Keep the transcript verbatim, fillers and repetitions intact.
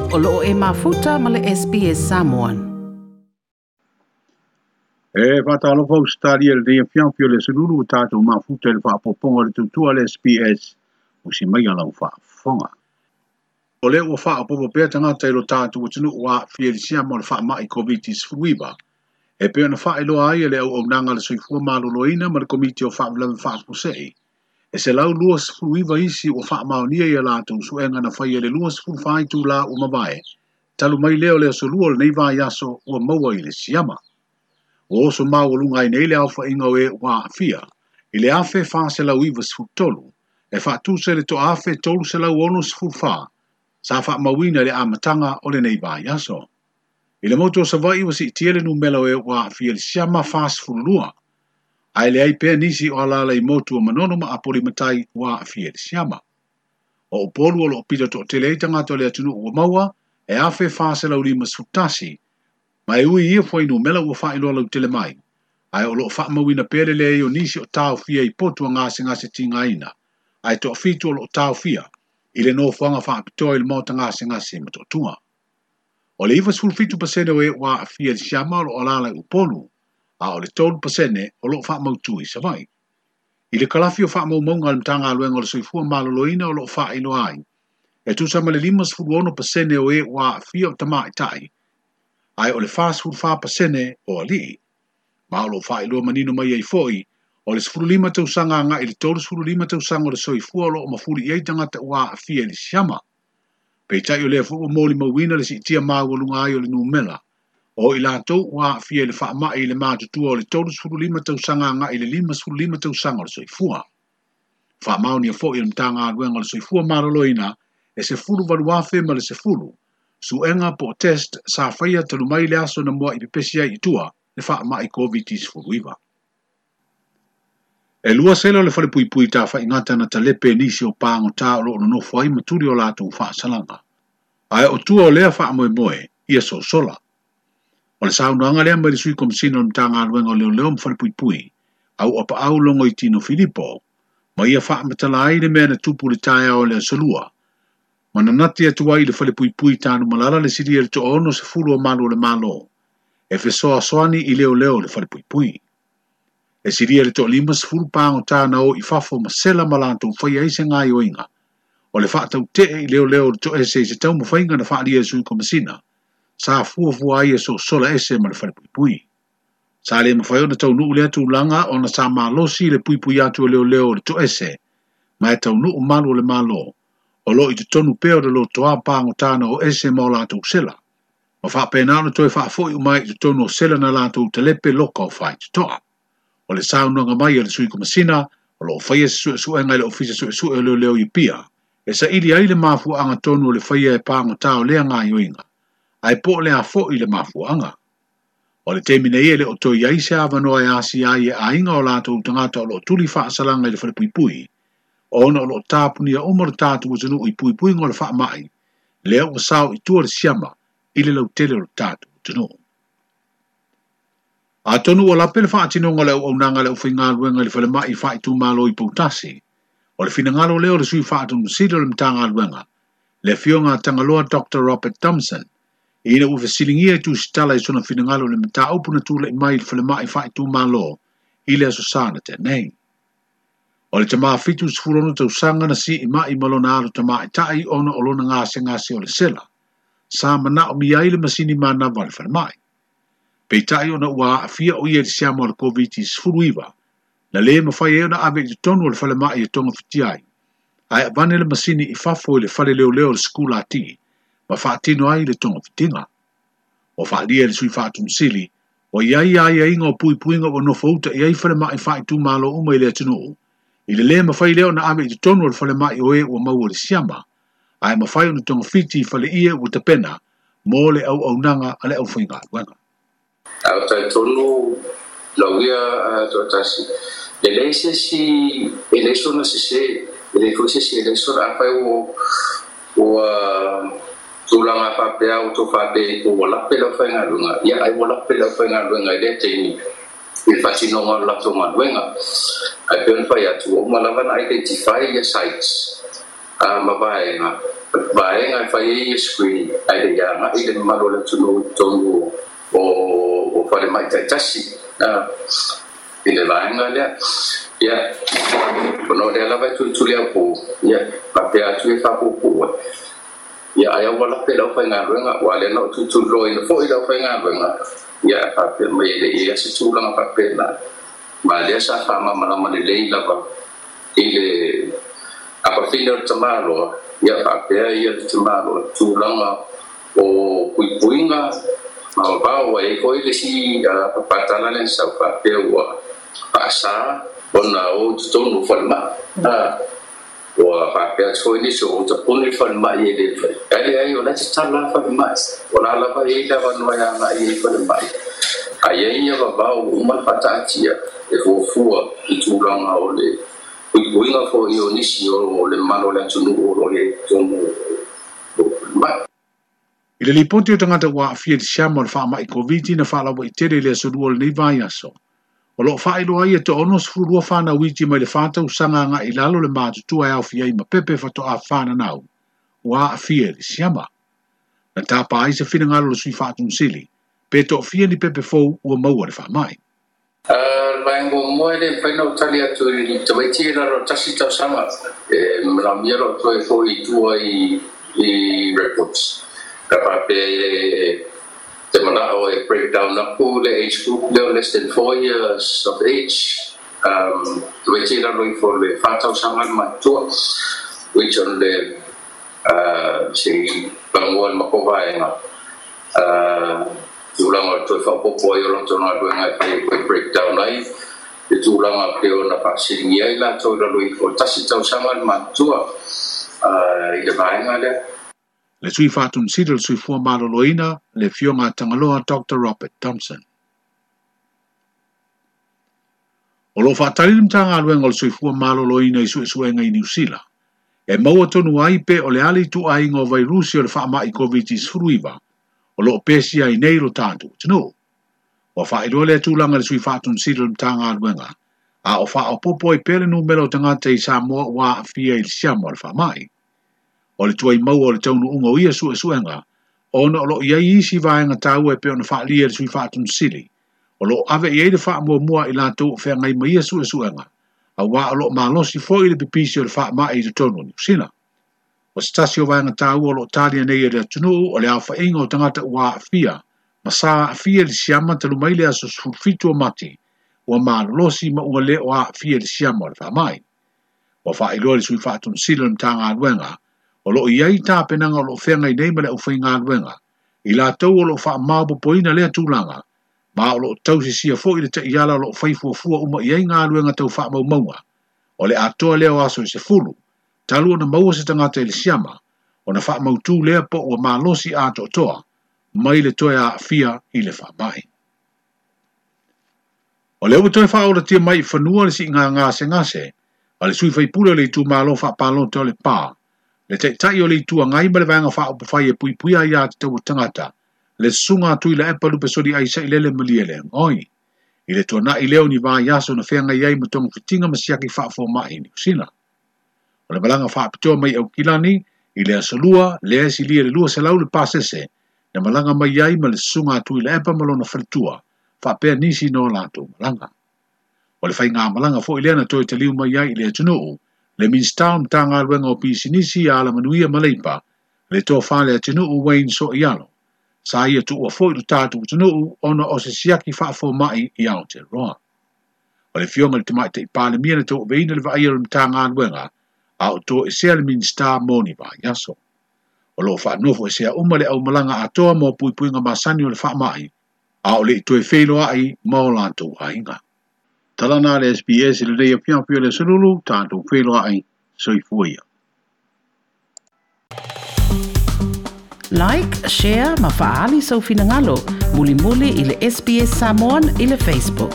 O loo e mafuta ma le S B S Samoan. E whātalofa Australia le rea fiamfio le sululu o tātou mafuta le whaapoponga le tutua le S B S o si mai alau whaafonga. O lea ua whaapopo pea tangata i lo tātou o tunu ua whielisia mo le whaamai COVID sefuluiva. E pea na whaeloa ai le au au nanga le soifua maloloina ma le komiti o whaamlawe whaafusei. E se lau lua sefuluiva isi o whaamaonia ia lātou suenga na whai ele lua sefuluwhai tū la o mawae. Talu mai leo leo solua le nei vai aso ua maua i le siama. O oso mau lunga i nei le alfa inga e wā fia. I le afe wha se lau iwa sefulutolu. E whaatuse le to afe tolu se lau ono sefuluwha. Sa wha mawina le amatanga o le nei vai aso. I le moto o Savai wa si tiele numelo e wā fia le siama wha sefululua. Ai le ai pea nisi o alala i motu o manono ma apoli matai wā fia le siama. O upolu o lo pita to tele i tangata le atunu ua maua e afe wha se lau lima sefulutasi. Ma e ui ia fwai numela ua whaeloa lau tele mai. Ai o lo whaamawina pele le o nisi o tau fia i potu a ngase ngase tinga ina. Ai to fitu o lo tau fia. I le nofoanga whaapitoa i le mota ngase ngase matotua. O le iwa sefulufitu pasene o e wā fia le siama o lo alala i upolu. A o le tolu pasene o lo whaamautu i Savai. I le kalafi o whaamaumaunga le mtanga aluenga o le soifua maloloina o lo whaeloa ai. E tusa ma le lima sefulu ono pasene o e wā fia o tamaitai. Ai o le wha sefulu wha pasene o alii. Ma o lo whaeloa manino mai ai foi, o le sefulu lima tausanga anga i le tolu sefulu lima tausanga o le soifua o lo o mafuli i ai tangata ua afia i le siama. Peitai o lea fua moli mauina le siitia maua lunga ai o le numela. O i lātou ua afia i le whaamai i le mātutua o le tolu sefulu lima tausanga anga i le lima sefulu lima tausanga o le soifua. Whaamaonia foi i le mtanga aluenga o le soifua maloloina e sefulu valu afe ma le sefulu. Suenga po test sa whaia talu mai le aso na mua i pepesi ai i tua le whaamai COVID sefuluiva. E lua sela o le whale puipui tā whaingata na talepe nisi o pāngo tā o lo nonofo ai maturi o lātou whaasalanga. Ae o tua o lea whaamoe moe, ia so sola. O le saunoanga lea mai le sui komisina o le mtanga aluenga o leo leo mwhale puipui, au apa au longo i Tino Filipo, ma ia whaamatala ai le mea na tupu le taea o lea solua. Mananati atu ai le whale puipui tānu malala le siri e le toono se fulu o malu o le malo. E fesoa soani i leo leo le whale puipui. E siri e le too lima sefulu pāngo tāna o i fafo ma sela malantou whai ai se ngai oinga. O le whaatau te i leo leo le to ese i se tau mawhainga na whaalia e sui komisina. Sa fuafua ai e so sola ese ma le whale puipui. Sa le mawhai o na tau nuu lea tūlanga o na sa malosi le puipui atu o leo leo le to ese. Ma e tau nuu malu o le malo. O lo i te tonu peo de lo toa pāngo tāna o ese ma o lātou sela. Ma whaapena ona toe whaafoi umai i te tonu o sela na lātou telepe loka o whai te toa. O le saunoanga mai a le sui komisina, o lo whaia se suesuenga i le ofisa suesue o leo leo i pia. E sa ili ai le mafuanga tonu o le whaia e pāngo tā o lea ngā ioinga. Ai po le a fo i le mafuanga. O le temine ia le o toi ai se awanoa e asi ai e ainga o lātou tangata o lo tuli whaasalanga i le whale puipui. Ona o lo tāpunia o mara tātu o tanu i puipui ngō le whaamai. Lea o sao i tua le siama i le lautele o le tātu o tanu. A tonu o lape le whaatinonga le au nanga le uwhaingaluenga le whale mai whaitu malo i Poutasi. O le whinangalo leo le sui whaatunu sila le mtanga Le fionga tangaloa Doctor Robert Thompson. Ina uwhasilingia i tūsitala i sona whinangalo le mta upuna tūle mai le whale mai whaitu malo i le aso sana te nei. O le tamaa fitu sefulu tausanga na si i mai malona alo tamaa i tai ona o lona ngase ngase o le sela. Sa mana o mi ai le masini manawa le whale mai. Peitai ona ua afia o ia le siama o le COVID sefuluiva. Na le mawhai e ona ave i te tonu o le whale mai e tonga whiti ai. Ai avane le masini i fafo i le whale leo leo le skula ati. Ma whaatino ai le tonga whitinga. O whaalia le sui whaatumsili. O iai ai ai inga o puipuinga o nofouta i ai whale mai whaitu malo uma i le atunuu. I le le mawhai leo na ave i te tonu o le whale mai o e ua mau o le siama. Ai mawhai ona tonga whiti i whale ia ua tapena mō le au au nanga a le au whainga aluenga. Au tai tonu lau ia toatasi. Le lei se si e lei sona se se e lei foi se si e lei sona a whai o ua tūlanga whapea o tō whape o walape lau whainga lunga. Ia ai walape lau whainga lunga i le teini. I le whatinonga o lato ngaluenga. Ai pe ona whai atu o malawana identify ia sites. Uh, ma vaenga. Vaega e fai ai screening ai le ia i le mamalu o le atunuu i totonu o o falemai taitasi i le vaega lea. Ia, ona o lea lava e tulituli au ia faapea atu e faapuupuu ai. Ia, ai aua lape le aufaigaluega, ua lea na ou tulituliloaina foi le aufaigaluega, ia faapea mai e le i ai se tulaga faapena. Ma lea sa faamalamalama lelei lava i le apafina o le tamaloa, ia faapea ia le tamaloa tulaga o puipuiga ma vavao ai foi le isi papatala lea sa faapea ua faasa ona o totonu o falemai. Ua faapea atu foi nisi o tapuni falemai e le fai. Ai leai o la e tatala falemai. O la lava e i ai le avanoa e agai ai falemai. Ai ai ia vavao ua uma ona faataatia e fuafua i tulaga o le puipuiga foi o nisi o le mamalu o le atunuu o lo o i ai i totonu o falemai. I le lipoti o tagata ua aafia i le siama o le faamai Koviti na faalauaitele i le aso lua o lenei vaiaso. O loo faailoa ai e toaono sefulu lua fanau iti mai le fa tausaga agai i lalo le matutua e aofia ai ma pepe faatoa fananau ua aafia i le siama. Na tapa ai se finagalo o le sui faatonusili pe toafia ni pepe fou ua maua le faamai. Le vaega muamua e le mafai ona ou tali atu i tamaiti e lalo o le tasi tausaga e manaomia lou toe foi i tua i i records. Ka faapea e te manao e break down aku le age group lea o less than four years of age, um, tamaiti e lalo ifo o le fa tausaga le matutua, which on le uh, se i pagua le matou vaega uh, tulaga o le toe faaopoopo ai o latou galuega e fai ai toe break down ai le tulaga pei ona faasiligia ai latou i lalo ifo o le tasi tausaga le matutua uh, i le vaega lea. Le sui faatonusili o le Soifua Maloloina, le Afioga a Tagaloa Doctor Robert Thompson. O loo faatali le Matagaluega o le Soifua Maloloina i suesuega i Niu Sila. E maua tonu ai pe o le a le ituaiga o vairusi o le faamai Koviti sefuluiva o loo pesia ai nei lo tatou atunuu. Ua faailoa lea tulaga i le sui faatonusili o le Matagaluega, a o faaopoopo ai pea le numera o tagata i Samoa ua aafia i le siama o le faamai. O le tuai maua o le taunuuga o ia suesuega, ona o loo i ai isi vaega taua e pei ona faaalia e le sui faatonusili, o loo ave i ai le faamuamua i latou o feagai ma ia suesuega, auā o loo malosi foi le pipisi o le faamai i totonu o Niu Sila. O se tasi o vaega taua o loo talia nei e le atunuu o le aofaiga o tagata ua aafia ma sa aafia i le siama talu mai le aso sefulu fitu o Mati, ua malolosi ma ua le o aafia i le siama o le faamai. Ua faailoa le sui faatonusili o le Matagaluega, o loo i ai tapenaga o loo feagai nei ma le aufaigaluega, i latou o loo faamaopoopoina lea tulaga, ma o loo tausisia foi le taiala o loo fai fuafua uma i ai galuega tau faamaumauga. O le atoa lea o aso e sefulu, talu ona maua se tagata i le siama, ona faamautū lea po ua malosi atoatoa, mai le toe aafia i le faamai. O lea ua toe faaolatia mai i fanua le siiga gasegase a le sui faipule o le itumalo faapalota o le Pa, le taitai o le Itu Agai ma le vaega faaupufai e puipuia aiā tatau a tagata, le susuga a Tuilaepa Lupesoli ai Sailele Malielegaoi. I le tuanai lea o ni vaiaso na feagai ai ma togafitiga ma siaki faafomai i Niu Sila. O le malaga faapitoa mai Aukilani i le aso lua, lea e silia i le lua selau le pasese, na malaga mai ai ma le susuga a Tuilaepa ma lona faletua, faapea nisi na o latou malaga. O le faigamalaga foi lea na toe taliu mai ai i le atunuu, le Minisita o Matagaluega o Pisinisi a Alamanuia ma Leipa, le tofa le atunuu Wayne Soialo. Sa ia tuua foi lo tatou atunuu ona o se siaki faafomai i Aotearoa. O le afioga i le Tamaitai Palemia na tauaveina le vaaia o le Matagaluega, a o toesea le Minisita mo ni vaiaso. O loo faanofo esea uma le aumalaga atoa mo puipuiga masani o le faamai, a o le i toe feiloai ma o latou aiga. Tala na le S B S i lenei afiafi o le aso lulu, tatou feiloai, soifua ia. Like, share ma faaali sou finagalo, mulimuli i le S B S Samoan i le Facebook.